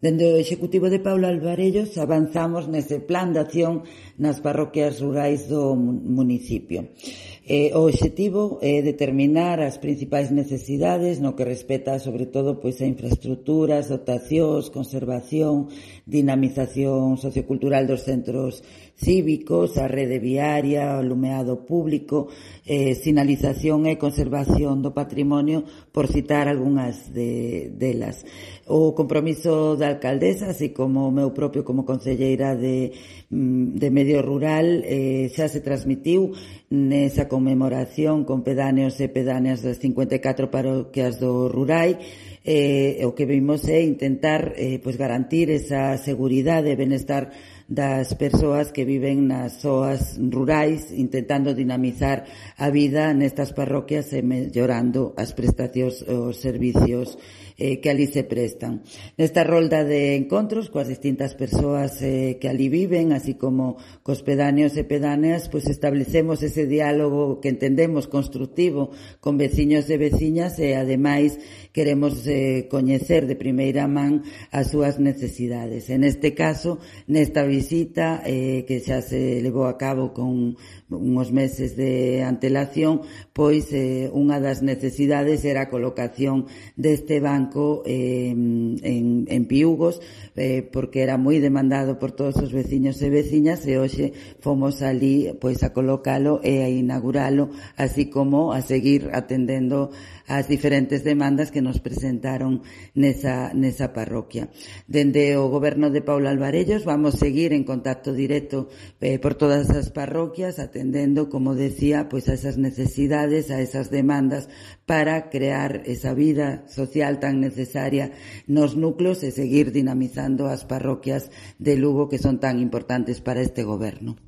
Dende o Executivo de Paula Alvarellos avanzamos nese plan de acción nas parroquias rurais do municipio. O obxectivo é determinar as principais necesidades no que respecta sobre todo a infraestructuras, dotacións, conservación, dinamización sociocultural dos centros cívicos, a rede viaria, o alumeado público, sinalización e conservación do patrimonio, por citar algunhas delas. O compromiso da alcaldesa, así como o meu propio como concelleira de Medio Rural, xa se transmitiu nesa conmemoración con pedáneos e pedáneas das 54 parroquias do Rurai. O que vimos é intentar garantir esa seguridade e benestar das persoas que viven nas zoas rurais, intentando dinamizar a vida nestas parroquias e mellorando as prestacións, os servicios que ali se prestan. Nesta rolda de encontros coas distintas persoas que ali viven, así como cos pedáneos e pedáneas, establecemos ese diálogo que entendemos constructivo con veciños e veciñas e, ademais, queremos coñecer de primeira man as súas necesidades. En este caso, nesta visita que xa se levou a cabo con uns meses de antelación, unha das necesidades era a colocación deste banco en Piúgos, porque era moi demandado por todos os veciños e veciñas, e hoxe fomos ali a colocalo e a inauguralo, así como a seguir atendendo as diferentes demandas que nos presentaron nesa parroquia. Dende o goberno de Paula Alvarellos vamos seguir en contacto directo por todas as parroquias, atendendo, como decía, a esas necesidades, a esas demandas, para crear esa vida social tan necesaria nos núcleos e seguir dinamizando as parroquias de Lugo, que son tan importantes para este goberno.